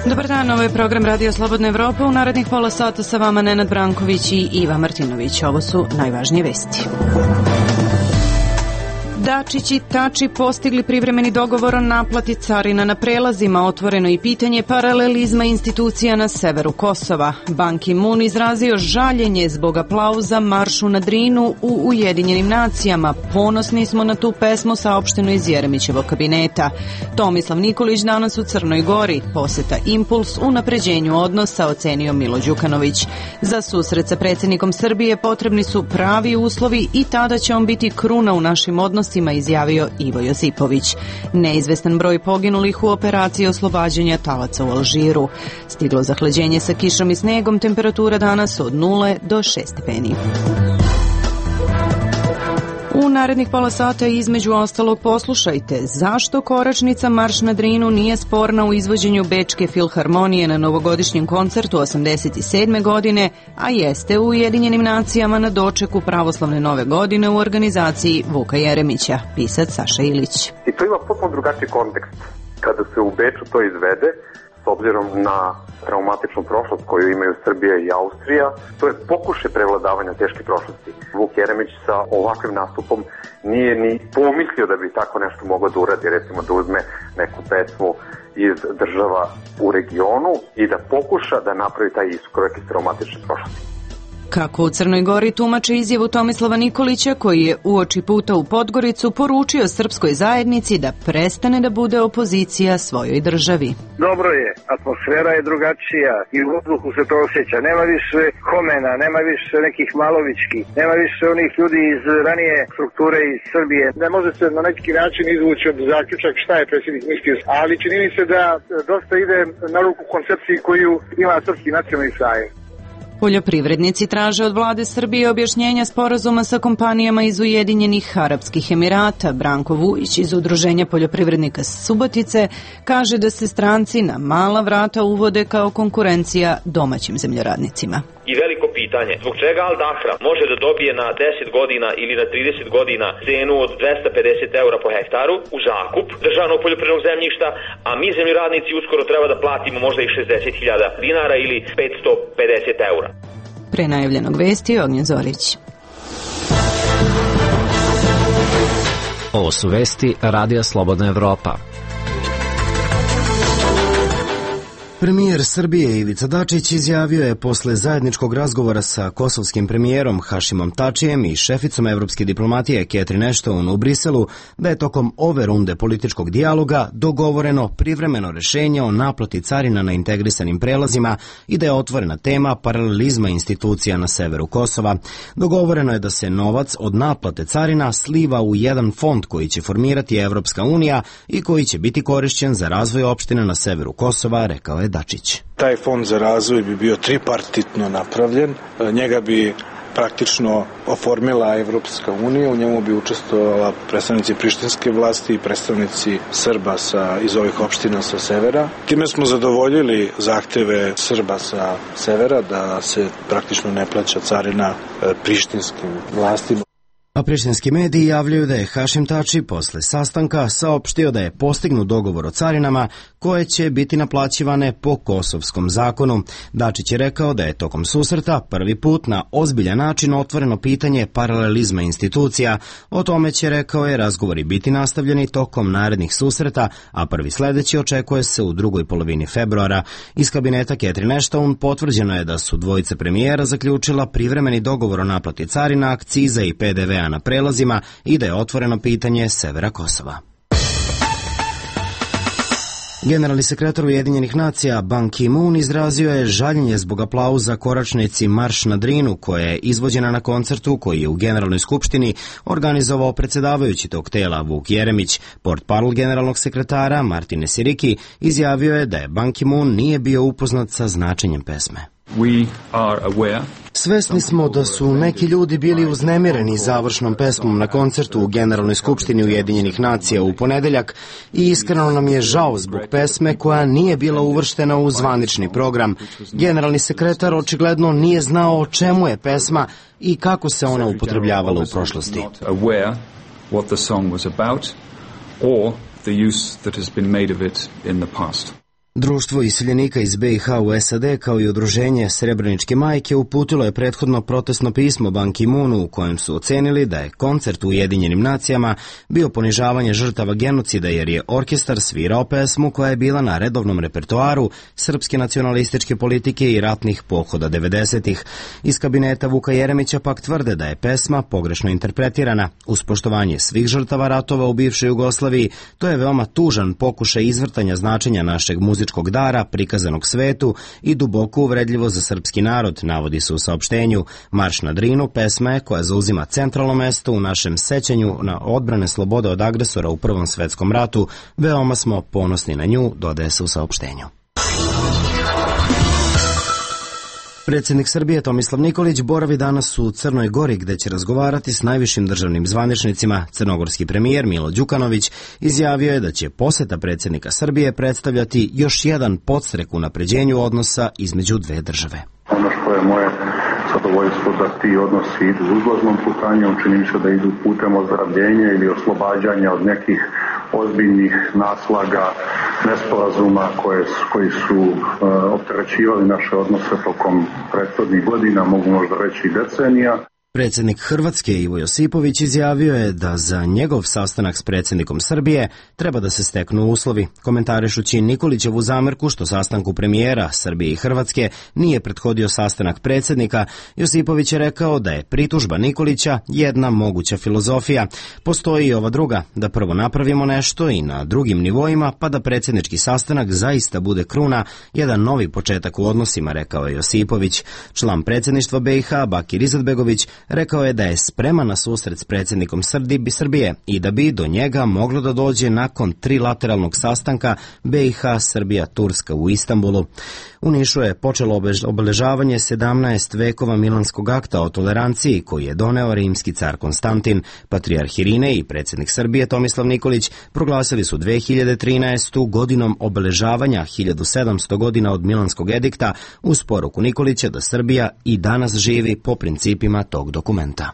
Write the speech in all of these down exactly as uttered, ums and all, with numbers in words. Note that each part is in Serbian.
Dobar dan, ovo je program Radio Slobodna Evropa. U narednih pola sata sa vama Nenad Branković i Iva Martinović. Ovo su najvažnije vesti. Dačić i Tači postigli privremeni dogovor o naplati carina na prelazima, otvoreno i pitanje paralelizma institucija na severu Kosova. Ban Ki-moon izrazio žaljenje zbog aplauza maršu na Drinu u Ujedinjenim nacijama. Ponosni smo na tu pesmu, saopšteno iz Jeremićevog kabineta. Tomislav Nikolić danas u Crnoj Gori. Poseta impuls u unapređenju odnosa, ocenio Milo Đukanović. Za susret sa predsjednikom Srbije potrebni su pravi uslovi i tada će on biti kruna u našim odnosima, izjavio Ivo Josipović. Neizvestan broj poginulih u operaciji oslobađanja talaca u Alžiru. Stiglo zahlađenje sa kišom i snegom, temperatura danas od nule do šest stepeni. U narednih pola sata između ostalog poslušajte zašto koračnica Marš na Drinu nije sporna u izvođenju Bečke filharmonije na novogodišnjem koncertu osamdeset sedme godine, a jeste u Ujedinjenim nacijama na dočeku pravoslavne nove godine u organizaciji Vuka Jeremića, pisac Saša Ilić. I to ima potpuno drugačiji kontekst. Kada se u Beču to izvede, s obzirom na traumatičnu prošlost koju imaju Srbija i Austrija, to je pokušaj prevladavanja teške prošlosti. Vuk Jeremić sa ovakvim nastupom nije ni pomislio da bi tako nešto mogao da uradi, recimo da uzme neku pesmu iz država u regionu i da pokuša da napravi taj iskorak iz traumatične prošlosti. Kako u Crnoj Gori tumače izjavu Tomislava Nikolića, koji je uoči puta u Podgoricu poručio srpskoj zajednici da prestane da bude opozicija svojoj državi. Dobro je, atmosfera je drugačija i u vazduhu se to osjeća. Nema više Homena, nema više nekih Malovićki, nema više onih ljudi iz ranije strukture iz Srbije. Ne može se na neki način izvući od zaključak šta je predsjednik mislio, ali čini mi se da dosta ide na ruku koncepciji koju ima Srpski nacionalni sajem. Poljoprivrednici traže od vlade Srbije objašnjenja sporazuma sa kompanijama iz Ujedinjenih Arapskih Emirata. Branko Vujić iz Udruženja poljoprivrednika Subotice kaže da se stranci na mala vrata uvode kao konkurencija domaćim zemljoradnicima. I veliko pitanje, zbog čega Al Dahra može da dobije na deset godina ili na trideset godina cenu od dvesta pedeset eura po hektaru u zakup državnog poljoprivrednog zemljišta, a mi zemljoradnici uskoro treba da platimo možda i šezdeset hiljada dinara ili petsto pedeset eura. Pre najavljenog vesti Ognjen Zorić. Ovo su vesti Radija Slobodna Evropa. Premijer Srbije Ivica Dačić izjavio je posle zajedničkog razgovora sa kosovskim premijerom Hašimom Tačijem i šeficom evropske diplomatije Catherine Ashton u Briselu da je tokom ove runde političkog dijaloga dogovoreno privremeno rešenje o naplati carina na integrisanim prelazima i da je otvorena tema paralelizma institucija na severu Kosova. Dogovoreno je da se novac od naplate carina sliva u jedan fond koji će formirati Evropska unija i koji će biti korišćen za razvoj opština na severu Kosova, rekao je Dačić. Taj fond za razvoj bi bio tripartitno napravljen, njega bi praktično oformila Evropska unija, u njemu bi učestvovala predstavnici prištinske vlasti i predstavnici Srba sa, iz ovih opština sa severa. Time smo zadovoljili zahteve Srba sa severa da se praktično ne plaća carina prištinskim vlastima. A prištinski mediji javljaju da je Hašim Tači posle sastanka saopštio da je postignut dogovor o carinama koje će biti naplaćivane po kosovskom zakonu. Dačić je rekao da je tokom susreta prvi put na ozbiljan način otvoreno pitanje paralelizma institucija. O tome će, rekao je, razgovori biti nastavljeni tokom narednih susreta, a prvi sledeći očekuje se u drugoj polovini februara. Iz kabineta Catherine Ashton potvrđeno je da su dvojice premijera zaključila privremeni dogovor o naplati carina, akciza i P D V-a na prelazima i da je otvoreno pitanje severa Kosova. Generalni sekretar Ujedinjenih nacija Ban Ki-moon izrazio je žaljenje zbog aplauza koračnici Marš na Drinu koja je izvođena na koncertu koji je u Generalnoj skupštini organizovao predsjedavajući tog tela Vuk Jeremić. Portparol generalnog sekretara Martine Siriki izjavio je da je Ban Ki-moon nije bio upoznat sa značenjem pesme. We are aware. Svesni smo da su neki ljudi bili uznemireni završnom pesmom na koncertu u Generalnoj skupštini Ujedinjenih nacija u ponedeljak i iskreno nam je žao zbog pesme koja nije bila uvrštena u zvanični program. Generalni sekretar očigledno nije znao o čemu je pesma i kako se ona upotrebljavala u prošlosti. What the song was about or the use that has been made of it in the past. Društvo iseljenika iz be i ha u es a de kao i udruženje Srebreničke majke uputilo je prethodno protestno pismo Ban Ki-moonu u kojem su ocenili da je koncert u Ujedinjenim nacijama bio ponižavanje žrtava genocida jer je orkestar svirao pesmu koja je bila na redovnom repertoaru srpske nacionalističke politike i ratnih pohoda devedesetih. Iz kabineta Vuka Jeremića pak tvrde da je pesma pogrešno interpretirana. Uz poštovanje svih žrtava ratova u bivšoj Jugoslaviji, to je veoma tužan pokušaj izvrtanja značenja našeg muzičkog dara prikazanog svetu i duboko uvredljivo za srpski narod, navodi se u saopštenju. Marš na Drinu pesma je koja zauzima centralno mesto u našem sećanju na odbrane slobode od agresora u Prvom svetskom ratu. Veoma smo ponosni na nju, dodaje se u saopštenju. Predsjednik Srbije Tomislav Nikolić boravi danas u Crnoj Gori gde će razgovarati s najvišim državnim zvaničnicima. Crnogorski premijer Milo Đukanović izjavio je da će poseta predsjednika Srbije predstavljati još jedan podstrek u napređenju odnosa između dve države. Ono što je moje zadovoljstvo da ti odnosi idu uzlaznom putanjom, čini mi se da idu putem ozdravljenja ili oslobađanja od nekih ozbiljnih naslaga, nesporazuma koje, koji su uh, opterećivali naše odnose tokom prethodnih godina, mogu možda reći i decenija. Predsjednik Hrvatske Ivo Josipović izjavio je da za njegov sastanak s predsjednikom Srbije treba da se steknu uslovi. Komentarišući Nikolićevu zamerku što sastanku premijera Srbije i Hrvatske nije prethodio sastanak predsjednika, Josipović je rekao da je pritužba Nikolića jedna moguća filozofija. Postoji i ova druga, da prvo napravimo nešto i na drugim nivoima, pa da predsjednički sastanak zaista bude kruna, jedan novi početak u odnosima, rekao je Josipović. Član predsjedništva be i ha Bakir Izetbegović rekao je da je spreman na susret s predsjednikom Srbije i da bi do njega moglo da dođe nakon trilateralnog sastanka be i ha Srbija Turska u Istanbulu. U Nišu je počelo obeležavanje sedamnaest vekova Milanskog akta o toleranciji koji je doneo rimski car Konstantin. Patrijarh Irine i predsjednik Srbije Tomislav Nikolić proglasili su dve hiljade trinaestu godinom obeležavanja hiljadu sedamsto godina od Milanskog edikta uz poruku Nikolića da Srbija i danas živi po principima tog dokumenta.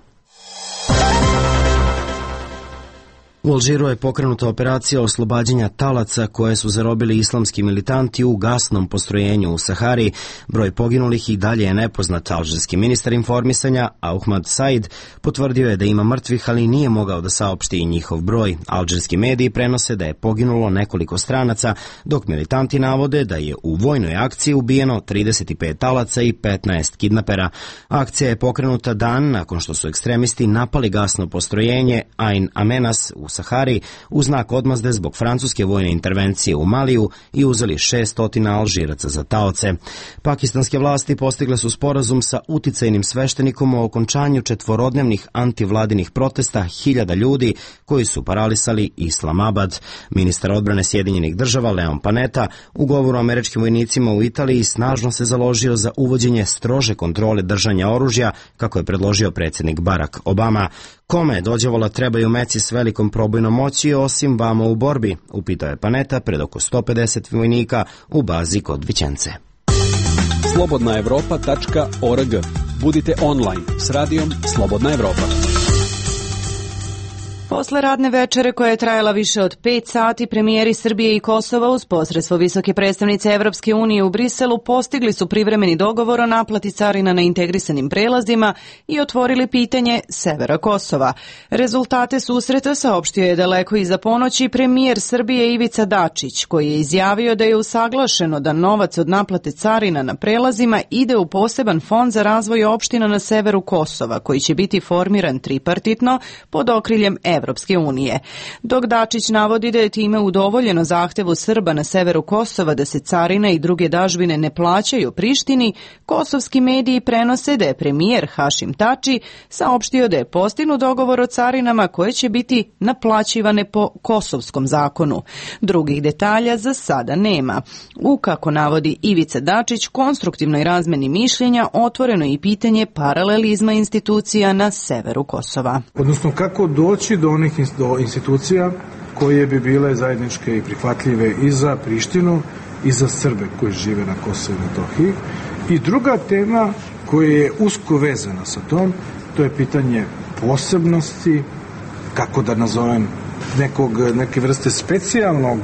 U Alžiru je pokrenuta operacija oslobađanja talaca koje su zarobili islamski militanti u gasnom postrojenju u Sahari. Broj poginulih i dalje je nepoznat. Alžirski ministar informisanja Ahmad Said potvrdio je da ima mrtvih, ali nije mogao da saopšti i njihov broj. Alžirski mediji prenose da je poginulo nekoliko stranaca, dok militanti navode da je u vojnoj akciji ubijeno trideset pet talaca i petnaest kidnapera. Akcija je pokrenuta dan nakon što su ekstremisti napali gasno postrojenje Ain Amenas u Sahari u znak odmazde zbog francuske vojne intervencije u Maliju i uzeli šesnaest Alžiraca za taoce. Pakistanske vlasti postigle su sporazum sa uticajnim sveštenikom o okončanju četvorodnevnih antivladinih protesta hiljada ljudi koji su paralisali Islamabad. Ministar odbrane Sjedinjenih država Leon Panetta u govoru američkim vojnicima u Italiji snažno se založio za uvođenje strože kontrole držanja oružja, kako je predložio predsjednik Barack Obama. Kome dođevola trebaju meci s velikom probojnom moći osim vama u borbi, upitao je Panetta pred oko sto pedeset vojnika u bazi kod Vićence. slobodna evropa tačka org. Budite online s radijom Slobodna Evropa. Posle radne večere koja je trajala više od pet sati, premijeri Srbije i Kosova uz posredstvo visoke predstavnice Evropske unije u Briselu postigli su privremeni dogovor o naplati carina na integrisanim prelazima i otvorili pitanje severa Kosova. Rezultate susreta saopštio je daleko iza ponoći premijer Srbije Ivica Dačić, koji je izjavio da je usaglašeno da novac od naplate carina na prelazima ide u poseban fond za razvoj opština na severu Kosova, koji će biti formiran tripartitno pod okriljem Evropske Evropske unije. Dok Dačić navodi da je time udovoljeno zahtevu Srba na severu Kosova da se carina i druge dažbine ne plaćaju Prištini, kosovski mediji prenose da je premijer Hašim Tači saopštio da je postignut dogovor o carinama koje će biti naplaćivane po kosovskom zakonu. Drugih detalja za sada nema. U, kako navodi Ivica Dačić, konstruktivnoj razmeni mišljenja otvoreno i pitanje paralelizma institucija na severu Kosova. Odnosno kako doći do onih do institucija koje bi bile zajedničke i prihvatljive i za Prištinu i za Srbe koji žive na Kosovu i Metohiji. I druga tema koja je usko vezana sa tom, to je pitanje posebnosti, kako da nazovem, nekog, neke vrste specijalnog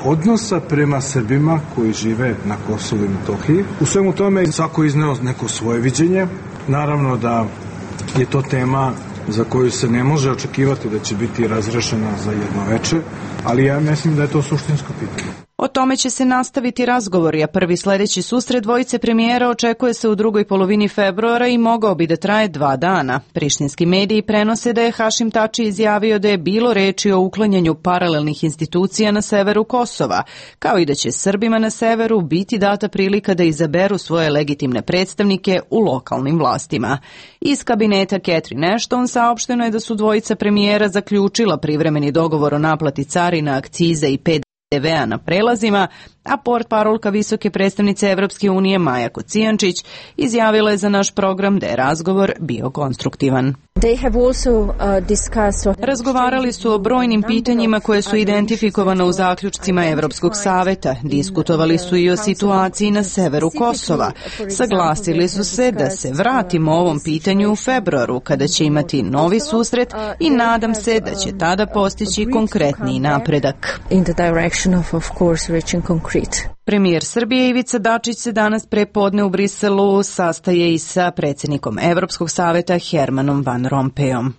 odnosa prema Srbima koji žive na Kosovu i Metohiji. U svemu tome svako izneo neko svoje viđenje. Naravno da je to tema za koju se ne može očekivati da će biti razrešena za jedno veče, ali ja mislim da je to suštinsko pitanje. O tome će se nastaviti razgovori, a prvi sledeći susret dvojice premijera očekuje se u drugoj polovini februara i mogao bi da traje dva dana. Prištinski mediji prenose da je Hašim Tači izjavio da je bilo reči o uklanjanju paralelnih institucija na severu Kosova, kao i da će Srbima na severu biti data prilika da izaberu svoje legitimne predstavnike u lokalnim vlastima. Iz kabineta Catherine Ashton saopšteno je da su dvojica premijera zaključila privremeni dogovor o naplati carina, akciza i P D V-a na prelazima, a portparolka visoke predstavnice Evropske unije Maja Kocijančić izjavila je za naš program da je razgovor bio konstruktivan. Razgovarali su o brojnim pitanjima koje su identifikovane u zaključcima Evropskog saveta. Diskutovali su i o situaciji na severu Kosova. Saglasili su se da se vratimo ovom pitanju u februaru, kada će imati novi susret i nadam se da će tada postići konkretniji napredak. Premijer Srbije Ivica Dačić se danas prepodne u Briselu sastaje i sa predsjednikom Evropskog saveta Hermanom Van Rompuyom.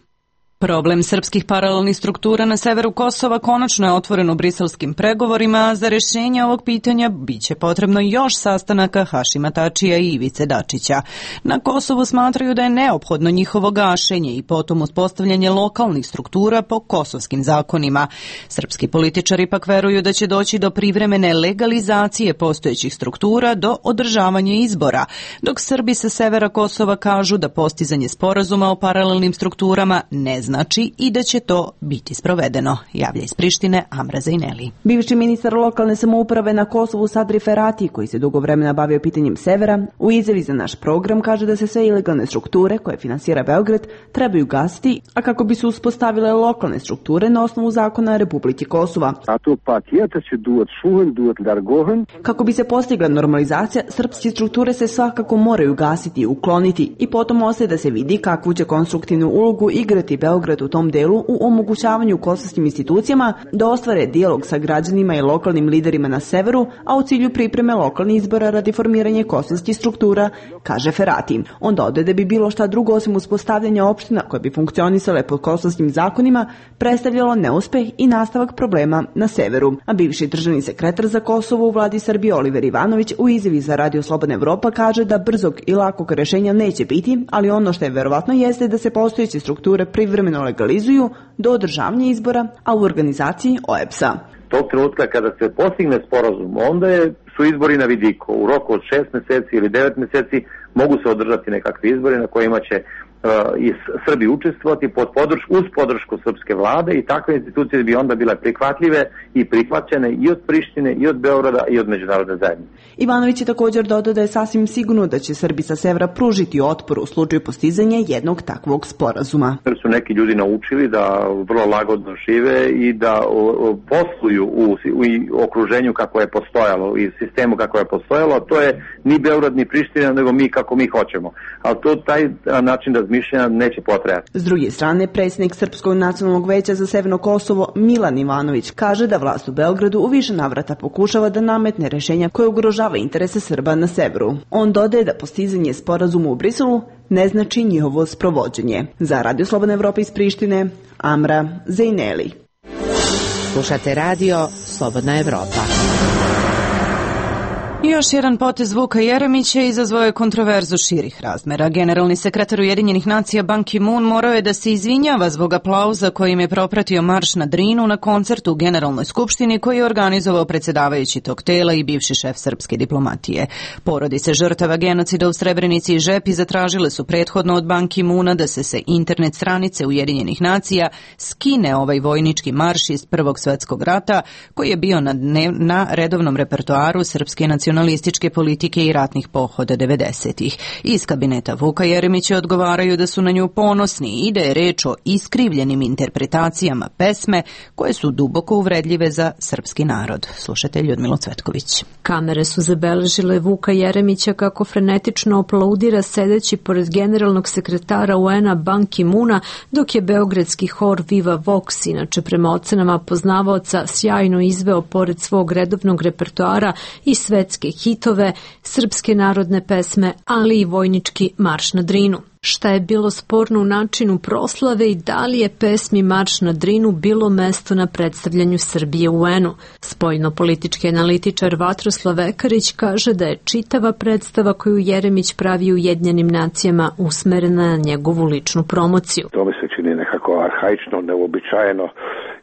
Problem srpskih paralelnih struktura na severu Kosova konačno je otvoren u briselskim pregovorima, a za rješenje ovog pitanja biće potrebno još sastanaka Hašima Tačija i Ivice Dačića. Na Kosovu smatraju da je neophodno njihovo gašenje i potom uspostavljanje lokalnih struktura po kosovskim zakonima. Srpski političari pak veruju da će doći do privremene legalizacije postojećih struktura do održavanja izbora, dok Srbi sa severa Kosova kažu da postizanje sporazuma o paralelnim strukturama ne znači i da će to biti sprovedeno, javlja iz Prištine Amra Zajneli. Bivši ministar lokalne samouprave na Kosovu Sadri Ferati, koji se dugo vremena bavio pitanjem severa, u izjavi za naš program kaže da se sve ilegalne strukture koje finansira Beograd trebaju gasiti, a kako bi se uspostavile lokalne strukture na osnovu zakona Republike Kosova. Kako bi se postigla normalizacija, srpske strukture se svakako moraju gasiti i ukloniti i potom ostaje da se vidi kakvu će konstruktivnu ulogu igrati Beograd u tom delu u omogućavanju kosovskim institucijama da ostvare dijalog sa građanima i lokalnim liderima na severu, a u cilju pripreme lokalnih izbora radi formiranja kosovskih struktura, kaže Ferati. On dodaje da bi bilo šta drugo osim uspostavljanja opština koje bi funkcionisale po kosovskim zakonima predstavljalo neuspeh i nastavak problema na severu. A bivši državni sekretar za Kosovo u vladi Srbije Oliver Ivanović u izjavi za Radio Slobodna Evropa kaže da brzog i lakog rešenja neće biti, ali ono što je verovatno jeste da se postojeće strukture privremeno legalizuju do održavanja izbora, a u organizaciji O E B S-a. Tog trenutka kada se postigne sporazum, onda je, su izbori na vidiku. U roku od šest meseci ili devet meseci mogu se održati nekakvi izbori na kojima će uh, i Srbi učestvovati pod podrš, uz podršku srpske vlade i takve institucije bi onda bile prihvatljive i prihvaćene i od Prištine, i od Beograda, i od međunarodne zajednice. Ivanović je također dodao da je sasvim sigurno da će Srbi sa severa pružiti otpor u slučaju postizanja jednog takvog sporazuma. Jer su neki ljudi naučili da vrlo lagodno žive i da o, o, posluju u, u okruženju kako je postojalo i sistemu kako je postojalo, a to je ni Beograd ni Priština, nego mi kako mi hoćemo. Ali to taj način razmišljanja neće potrajati. S druge strane, predsjednik Srpskog nacionalnog veća za Severno Kosovo Milan Ivanović kaže da vlast u Beogradu u više navrata pokušava da nametne rešenja koje ugrožava interese Srba na severu. On dodaje da postizanje sporazuma u Briselu ne znači njihovo sprovođenje. Za Radio Slobodna Evropa iz Prištine, Amra Zajneli. Slušate Radio Slobodna Evropa. Još jedan potez Vuka Jeremića izazvao je kontroverzu širih razmera. Generalni sekretar Ujedinjenih nacija Ban Ki-moon morao je da se izvinjava zbog aplauza kojim je propratio marš na Drinu na koncertu u Generalnoj skupštini koji je organizovao predsjedavajući tog tela i bivši šef srpske diplomatije. Porodice žrtava genocida u Srebrenici i Žepi zatražile su prethodno od Ban Ki-moona da se sa internet stranice Ujedinjenih nacija skine ovaj vojnički marš iz Prvog svjetskog rata koji je bio na, dnev, na redovnom repertoaru srpske nacionalne nacionalističke politike i ratnih pohoda devedesetih. Iz kabineta Vuka Jeremića odgovaraju da su na nju ponosni i da je reč o iskrivljenim interpretacijama pesme koje su duboko uvredljive za srpski narod. Slušatelj Ljudmila Cvetković. Kamere su zabeležile Vuka Jeremića kako frenetično aplaudira sedeći pored generalnog sekretara U N-a Ban Ki-moona, dok je beogradski hor Viva Vox, inače prema ocenama poznavaoca, sjajno izveo pored svog redovnog repertoara i svetske hitove, srpske narodne pesme, ali i vojnički marš na Drinu. Šta je bilo sporno u načinu proslave i da li je pesmi Marš na Drinu bilo mesto na predstavljanju Srbije u U N-u? Spoljno-politički analitičar Vatroslav Vekarić kaže da je čitava predstava koju Jeremić pravi u Ujedinjenim nacijama usmerena na njegovu ličnu promociju. To mi se čini nekako arhaično, neuobičajeno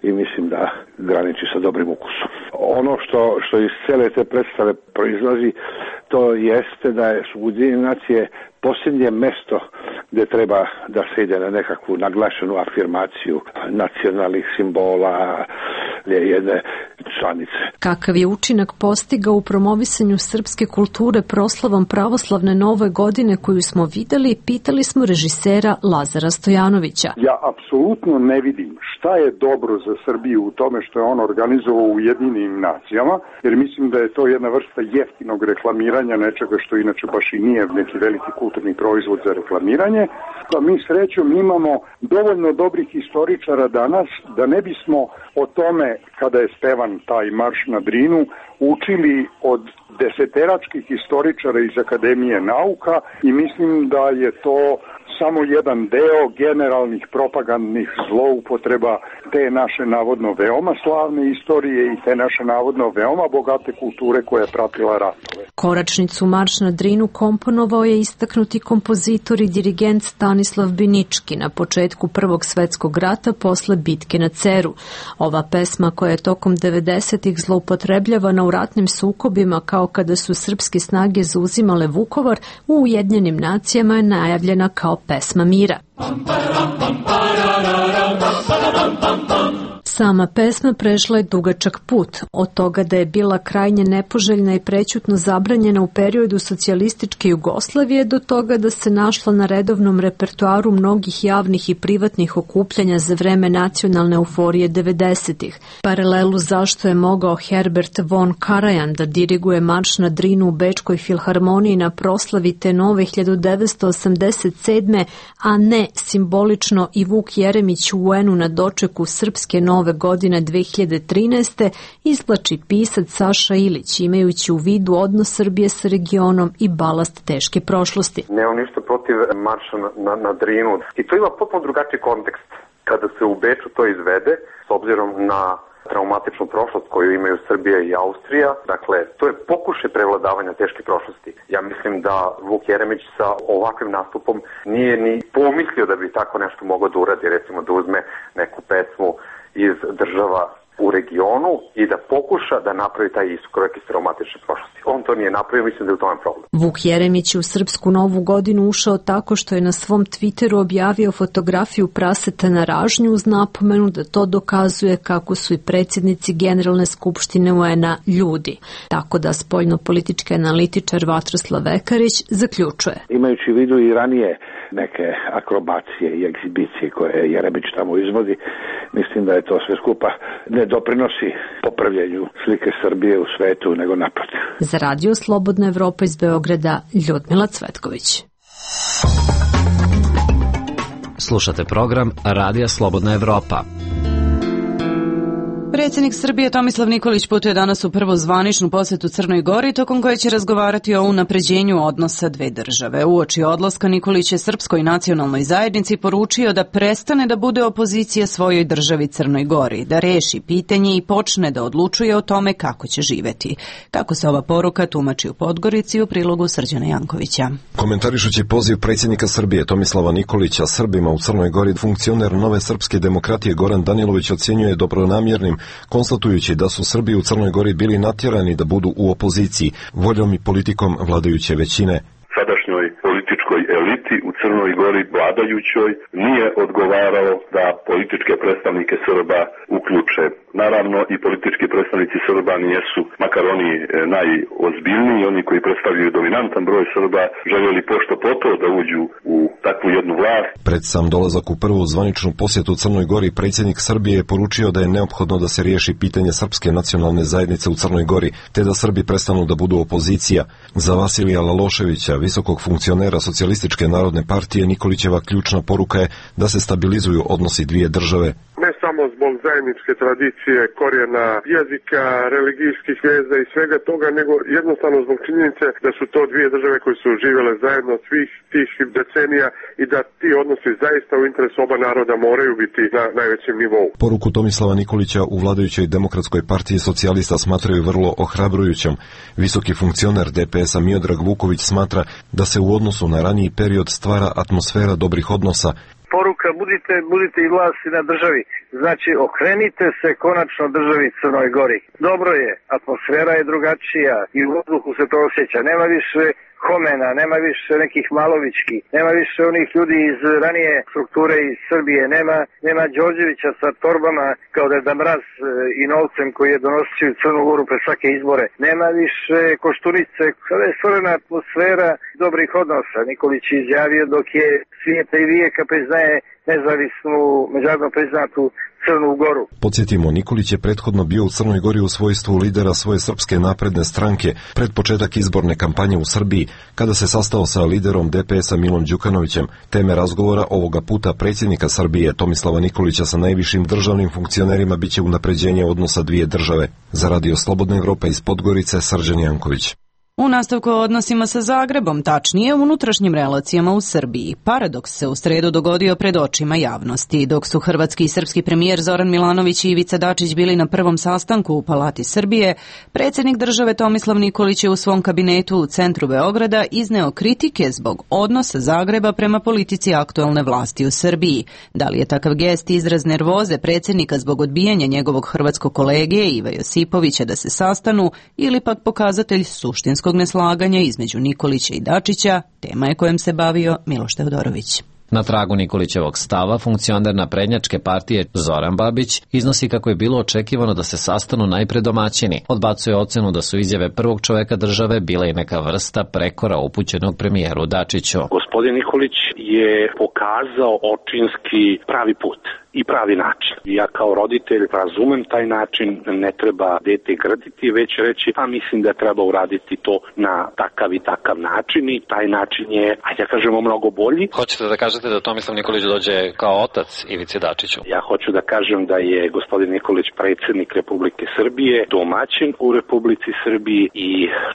i mislim da graniči sa dobrim ukusom. Ono što, što iz cele te predstave proizlazi, to jeste da su Ujedinjene nacije posljednje mesto gdje treba da se ide na nekakvu naglašenu afirmaciju nacionalnih simbola jedne članice. Kakav je učinak postigao u promovisanju srpske kulture proslavom pravoslavne nove godine koju smo videli, pitali smo režisera Lazara Stojanovića. Ja apsolutno ne vidim šta je dobro za Srbiju u tome što je on organizovao u Ujedinjenim nacijama, jer mislim da je to jedna vrsta jeftinog reklamiranja nečega što inače baš i nije neki veliki kulturni proizvod za reklamiranje. Pa mi srećom imamo dovoljno dobrih historičara danas da ne bismo o tome kada je spevan taj marš na Drinu učili od deseteračkih historičara iz Akademije nauka i mislim da je to samo jedan deo generalnih propagandnih zloupotreba te naše navodno veoma slavne istorije i te naše navodno veoma bogate kulture koja je pratila ratove. Koračnicu Marš na Drinu komponovao je istaknuti kompozitor i dirigent Stanislav Binički na početku Prvog svetskog rata posle bitke na Ceru. Ova pesma koja je tokom devedesetih zloupotrebljavana u ratnim sukobima kao kada su srpske snage zauzimale Vukovar, u Ujedinjenim nacijama je najavljena kao pesma mira. Sama pesma prešla je dugačak put, od toga da je bila krajnje nepoželjna i prećutno zabranjena u periodu socijalističke Jugoslavije do toga da se našla na redovnom repertoaru mnogih javnih i privatnih okupljanja za vreme nacionalne euforije devedesetih. Paralelu zašto je mogao Herbert von Karajan da diriguje marš na Drinu u Bečkoj filharmoniji na proslavi te nove hiljadu devetsto osamdeset sedme. a ne simbolično i Vuk Jeremić u U N-u na dočeku srpske nove godine dve hiljade trinaeste. izvlači pisac Saša Ilić, imajući u vidu odnos Srbije sa regionom i balast teške prošlosti. Nemam ništa protiv marša na, na, na Drinu. I to ima potpuno drugačiji kontekst. Kada se u Beču to izvede, s obzirom na traumatičnu prošlost koju imaju Srbija i Austrija, dakle, to je pokušaj prevladavanja teške prošlosti. Ja mislim da Vuk Jeremić sa ovakvim nastupom nije ni pomislio da bi tako nešto mogao da uradi, recimo da uzme neku pesmu iz država u regionu i da pokuša da napravi taj iskorak iz traumatične prošlosti. On to nije napravio, mislim da je u tome problem. Vuk Jeremić u srpsku novu godinu ušao tako što je na svom Twitteru objavio fotografiju praseta na ražnju uz napomenu da to dokazuje kako su i predsjednici Generalne skupštine U N-a ljudi. Tako da spoljno-politički analitičar Vatroslav Vekarić zaključuje. Imajući u vidu i ranije neke akrobacije i egzibicije koje Jeremić tamo izvodi, mislim da je to sve skupa ne doprinosi popravljanju slike Srbije u svetu, nego naprotiv. Za Radio Slobodna Evropa iz Beograda, Ljudmila Cvetković. Slušate program Radija Slobodna Evropa. Predsjednik Srbije Tomislav Nikolić putuje danas u prvu zvaničnu posjetu Crnoj Gori, tokom koje će razgovarati o unapređenju odnosa dve države. Uoči odlaska Nikolić je Srpskoj nacionalnoj zajednici poručio da prestane da bude opozicija svojoj državi Crnoj Gori, da reši pitanje i počne da odlučuje o tome kako će živeti. Kako se ova poruka tumači u Podgorici u prilogu Srđana Jankovića. Komentarišući poziv predsjednika Srbije Tomislava Nikolića Srbima u Crnoj Gori, funkcioner Nove srpske demokratije Goran Danilović ocjenjuje dobronamjernim, konstatujući da su Srbi u Crnoj Gori bili natjerani da budu u opoziciji, voljom i politikom vladajuće većine. Sadašnjoj političkoj eliti u Crnoj Gori vladajućoj nije odgovaralo da političke predstavnike Srba uključe. Naravno i politički predstavnici Srba nijesu, makar oni najozbiljniji, oni koji predstavljaju dominantan broj Srba, željeli pošto poto da uđu u takvu jednu vlast. Pred sam dolazak u prvu zvaničnu posjetu Crnoj Gori, predsjednik Srbije je poručio da je neophodno da se riješi pitanje srpske nacionalne zajednice u Crnoj Gori, te da Srbi prestanu da budu opozicija. Za Vasilija Laloševića, visokog funkcionera Socijalističke narodne partije, Nikolićeva ključna poruka je da se stabilizuju odnosi dvije države. Ne samo zbog zajedničke tradicije, korijena jezika, religijskih veza i svega toga, nego jednostavno zbog činjenice da su to dvije države koje su živjele zajedno svih tih decenija i da ti odnosi zaista u interesu oba naroda moraju biti na najvećem nivou. Poruku Tomislava Nikolića u vladajućoj Demokratskoj partiji socijalista smatraju vrlo ohrabrujućom. Visoki funkcioner D P S-a Miodrag Vuković smatra da se u odnosu na raniji period stvara atmosfera dobrih odnosa. Poruka, budite, budite i vlasti na državi. Znači, okrenite se konačno državi Crnoj Gori. Dobro je, atmosfera je drugačija i u vazduhu se to osjeća. Nema više Homena, nema više nekih Malovićki, nema više onih ljudi iz ranije strukture iz Srbije, nema, nema Đorđevića sa torbama kao da je Mraz i novcem koji je donosio u Crnu Goru pre svake izbore, nema više Koštunice, kada je stvorena atmosfera dobrih odnosa. Nikolić je izjavio dok je svijeta i vijeka priznaje nezavisnu, međunarodno priznatu Crnu Goru. Podsjetimo, Nikolić je prethodno bio u Crnoj Gori u svojstvu lidera svoje Srpske napredne stranke pred početak izborne kampanje u Srbiji, kada se sastao sa liderom D P S-a Milom Đukanovićem. Teme razgovora ovoga puta predsjednika Srbije Tomislava Nikolića sa najvišim državnim funkcionerima biće unapređenje odnosa dvije države. Za Radio Slobodna Evropa iz Podgorice, Srđan Janković. U nastavku o odnosima sa Zagrebom, tačnije unutrašnjim relacijama u Srbiji, paradoks se u sredu dogodio pred očima javnosti. Dok su hrvatski i srpski premijer Zoran Milanović i Ivica Dačić bili na prvom sastanku u Palati Srbije, predsjednik države Tomislav Nikolić je u svom kabinetu u centru Beograda izneo kritike zbog odnosa Zagreba prema politici aktuelne vlasti u Srbiji. Da li je takav gest izraz nervoze predsjednika zbog odbijanja njegovog hrvatskog kolege Iva Josipovića da se sastanu ili pak pokazatelj suštinskog neslaganja između Nikolića i Dačića, tema je kojom se bavio Miloš Teodorović. Na tragu Nikolićevog stava, funkcioner naprednjačke partije Zoran Babić iznosi kako je bilo očekivano da se sastanu najpre domaćini. Odbacuje ocenu da su izjave prvog čoveka države bile i neka vrsta prekora upućenog premijeru Dačiću. Gospodin Nikolić je pokazao očinski pravi put i pravi način. Ja kao roditelj razumem taj način, ne treba dete grditi, već reći, a mislim da treba uraditi to na takav i takav način i taj način je, ajde da kažemo, mnogo bolji. Hoćete da kažete da Tomislav Nikolić dođe kao otac Ivici Dačiću? Ja hoću da kažem da je gospodin Nikolić predsjednik Republike Srbije, domaćin u Republici Srbiji i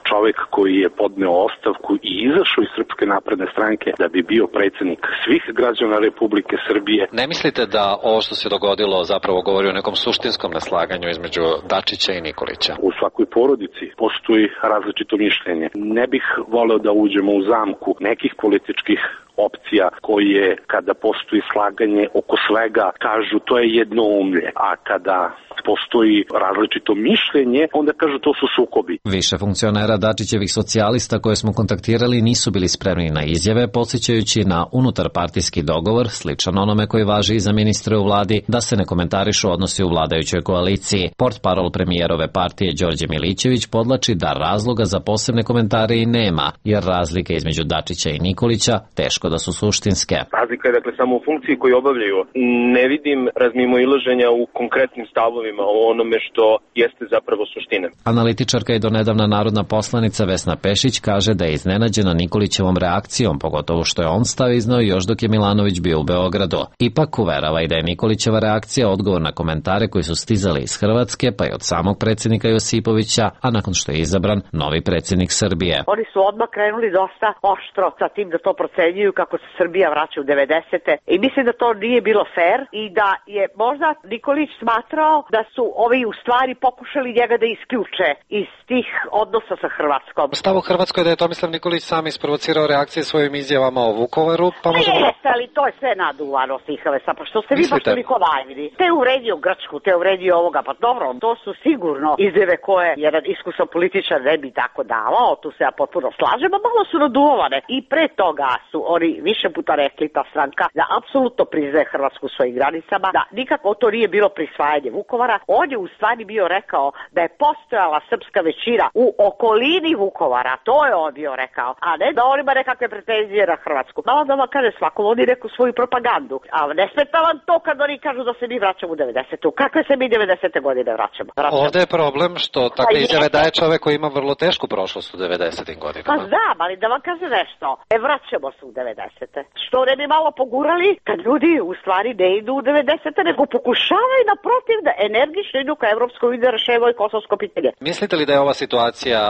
čovek koji je podneo ostavku i izašao iz Srpske napredne stranke da bi bio predsjednik svih građana Republike Srbije. Ne mislite da ovo što se dogodilo zapravo govori o nekom suštinskom neslaganju između Dačića i Nikolića? U svakoj porodici postoji različito mišljenje. Ne bih voleo da uđemo u zamku nekih političkih opcija koje, kada postoji slaganje oko svega, kažu to je jednoumlje, a kada postoji različito mišljenje, onda kažu to su sukobi. Više funkcionera Dačićevih socijalista koje smo kontaktirali nisu bili spremni na izjave, podsjećajući na unutarpartijski dogovor, sličan onome koji važi i za ministre u vladi, da se ne komentarišu odnosi u vladajućoj koaliciji. Portparol premijerove partije Đorđe Milićević podlači da razloga za posebne komentare i nema, jer razlike između Dačića i Nikolića teško da su suštinske. Razlika je dakle samo u funkciji koju obavljaju. Ne vidim razmimoilaženja u konkretnim stavovima o onome što jeste zapravo suština. Analitičarka i donedavna narodna poslanica Vesna Pešić kaže da je iznenađena Nikolićevom reakcijom, pogotovo što je on stav iznao još dok je Milanović bio u Beogradu. Ipak uverava i da je Nikolićeva reakcija odgovor na komentare koji su stizali iz Hrvatske, pa i od samog predsjednika Josipovića, a nakon što je izabran novi predsjednik Srbije. Oni su odmah krenuli dosta oštro sa tim da to procenjuju kako se Srbija vraća u devedesete i mislim da to nije bilo fair i da je možda Nikolić smatrao da su ovi u stvari pokušali njega da isključe iz tih odnosa sa Hrvatskom. Stav u Hrvatskoj je da je Tomislav Nikolić sam isprovocirao reakcije svojim izjavama o Vukovaru, pa možemo... Jeste, ali to je sve naduvano, Sihale, sa, pa što ste vi baš toliko naivni. Te uvredio Grčku, te uvredio ovoga, pa dobro, to su sigurno izjave koje jedan iskusan političar ne bi tako davao, tu se ja potpuno slažem, a malo su naduvane. I pre toga su oni više puta rekli, ta stranka, da apsolutno priznaje Hrvatsku u svojim granicama, da nikako to nije bilo prisvajanje Vukovara. On je u stvari bio rekao da je postojala srpska većina u okolini Vukovara, to je on bio rekao, a ne da on ima nekakve pretenzije na Hrvatsku. Malo da vam kaže, svako vodi neku svoju propagandu, a ne smeta vam to kad oni kažu da se mi vraćamo u devedesetu. Kakve se mi devedesete godine vraćamo? vraćamo? Ovde je problem što takve izjave daje čovek koji ima vrlo tešku prošlost u devedesetim godinama. Pa znam, ali da vam kaže nešto, e vraćamo se u devedesete. Što ne bi malo pogurali kad ljudi u stvari ne idu u devedesete, nego pokušavaju naprotiv da energično idu ka Evropskoj uniji da rešavaju kosovsko pitanje. Mislite li da je ova situacija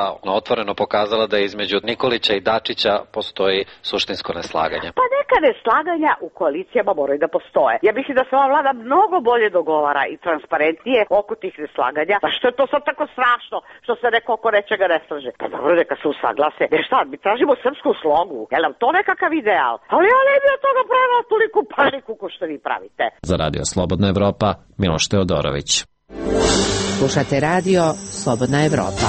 otvoreno pokazala da između Nikolića i Dačića postoji suštinsko neslaganje? Pa neka neslaganja u koalicijama moraju da postoje. Ja mislim da se ova vlada mnogo bolje dogovara i transparentnije oko tih neslaganja. Pa što je to sad tako strašno što se neko oko nečega ne slaže? Pa dobro, neka se usaglase. Ne šta, mi tražimo srpsku slogu. Je li nam to nekakav ideal? Ali ja ne bi od toga pravila toliko paniku ko što vi pravite. Za Radio Slobodna Evropa, Miloš Teodorović. Slušate radio Slobodna Evropa.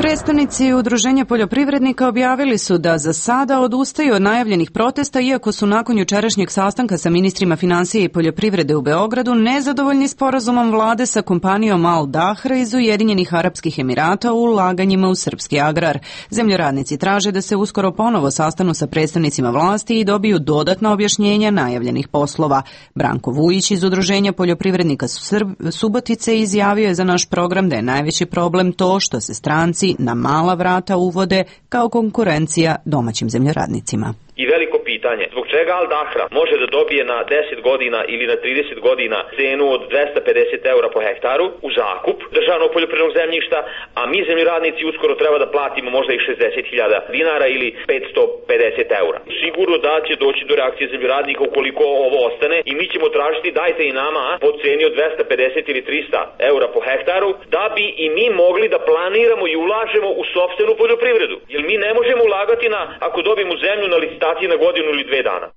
Predstavnici Udruženja poljoprivrednika objavili su da za sada odustaju od najavljenih protesta, iako su nakon jučerašnjeg sastanka sa ministrima finansije i poljoprivrede u Beogradu nezadovoljni sporazumom vlade sa kompanijom Al Dahra iz Ujedinjenih Arapskih Emirata u ulaganjima u srpski agrar. Zemljoradnici traže da se uskoro ponovo sastanu sa predstavnicima vlasti i dobiju dodatna objašnjenja najavljenih poslova. Branko Vujić iz Udruženja poljoprivrednika Subotice izjavio je za naš program da je najveći problem to što se stranci na mala vrata uvode kao konkurencija domaćim zemljoradnicima. I veliko pitanje, zbog čega Al Dahra može da dobije na deset godina ili na trideset godina cenu od dvesta pedeset eura po hektaru u zakup državnog poljoprivrednog zemljišta, a mi zemljoradnici uskoro treba da platimo možda i šezdeset hiljada dinara ili petsto pedeset eura. Sigurno da će doći do reakcije zemljoradnika ukoliko ovo ostane i mi ćemo tražiti dajte i nama po ceni od dvesta pedeset ili trista eura po hektaru da bi i mi mogli da planiramo i ulažemo u sopstvenu poljoprivredu. Jer mi ne možemo ulagati na, ako dobijemo zemlju na licitaciji na godinu ili dve dana.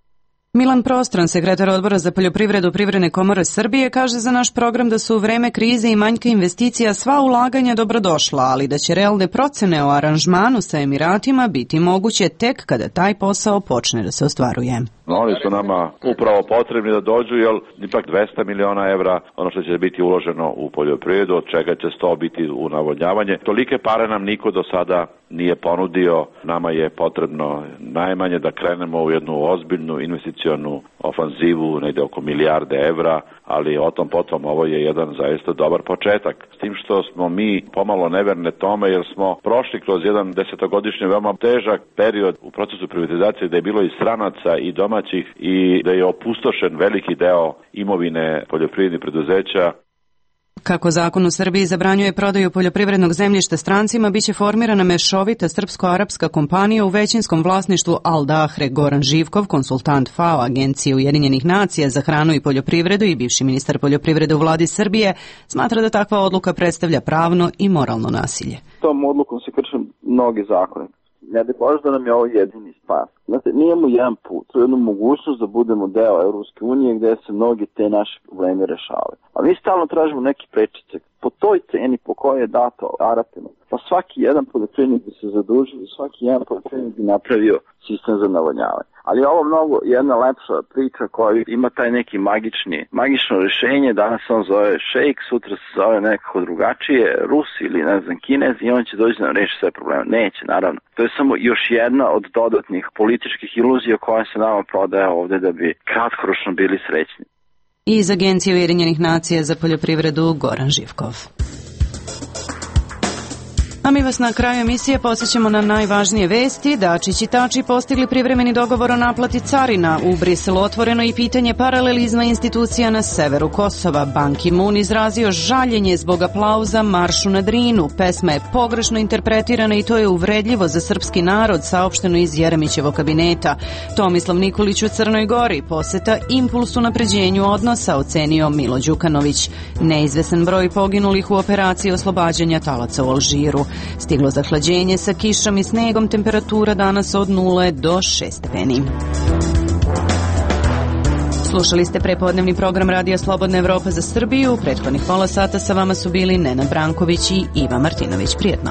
Milan Prostran, sekretar odbora za poljoprivredu Privredne komore Srbije, kaže za naš program da su u vreme krize i manjka investicija sva ulaganja dobrodošla, ali da će realne procene o aranžmanu sa Emiratima biti moguće tek kada taj posao počne da se ostvaruje. Oni su nama upravo potrebni da dođu, jer ipak dvesta miliona evra, ono što će biti uloženo u poljoprivredu, od čega će sto biti u navodnjavanje. Tolike pare nam niko do sada nije ponudio. Nama je potrebno najmanje da krenemo u jednu ozbiljnu investicionu ofanzivu, negde oko milijarde evra, ali o tom potom ovo je jedan zaista dobar početak. S tim što smo mi pomalo neverne tome, jer smo prošli kroz jedan desetogodišnji veoma težak period u procesu privatizacije, da je bilo i stranaca i domaćih i da je opustošen veliki deo imovine poljoprivrednih preduzeća. Kako zakon u Srbiji zabranjuje prodaju poljoprivrednog zemljišta strancima, biće formirana mešovita srpsko-arapska kompanija u većinskom vlasništvu Al Dahre. Goran Živkov, konsultant F A O Agencije Ujedinjenih nacija za hranu i poljoprivredu i bivši ministar poljoprivrede u vladi Srbije, smatra da takva odluka predstavlja pravno i moralno nasilje. Tom odlukom se krše mnogi zakoni. Ne da Bože da nam je ovo jedini spas. Znate, mi imamo jedan put, to je jednu mogućnost da budemo deo Evropske unije gde se mnogi te naše probleme rešavaju. A mi stalno tražimo neke prečice. Po toj ceni po kojoj je dato Arapima, Pa svaki jedan poljoprivrednik bi se zadužio, svaki jedan poljoprivrednik bi napravio sistem za navodnjavanje. Ali ovo mnogo jedna lepša priča koja ima taj neki magični, magično rješenje. Danas on zove šejk, sutra se zove nekako drugačije, Rus ili ne znam Kinez i on će doći da nam reši sve probleme. Neće, naravno. To je samo još jedna od dodatnih političkih iluzija koja se nama prodaje ovde da bi kratkoročno bili srećni. Iz Agencije Ujedinjenih nacija za poljoprivredu Goran Živkov. A mi vas na kraju emisije podsjećamo na najvažnije vesti. Dačić i Tači postigli privremeni dogovor o naplati carina. U Briselu otvoreno i pitanje paralelizma institucija na severu Kosova. Ban Ki-moon izrazio žaljenje zbog aplauza maršu na Drinu. Pesma je pogrešno interpretirana i to je uvredljivo za srpski narod, saopšteno iz Jeremićevog kabineta. Tomislav Nikolić u Crnoj Gori, poseta impuls unapređenju odnosa, ocenio Milo Đukanović. Neizvesan broj poginulih u operaciji oslobađanja talaca u Alžiru. Stiglo zahlađenje sa kišom i snegom, temperatura danas od nule do šest stepeni. Slušali ste prepodnevni program Radija Slobodna Evropa za Srbiju. Prethodnih pola sata sa vama su bili Nenad Branković i Iva Martinović. Prijetno.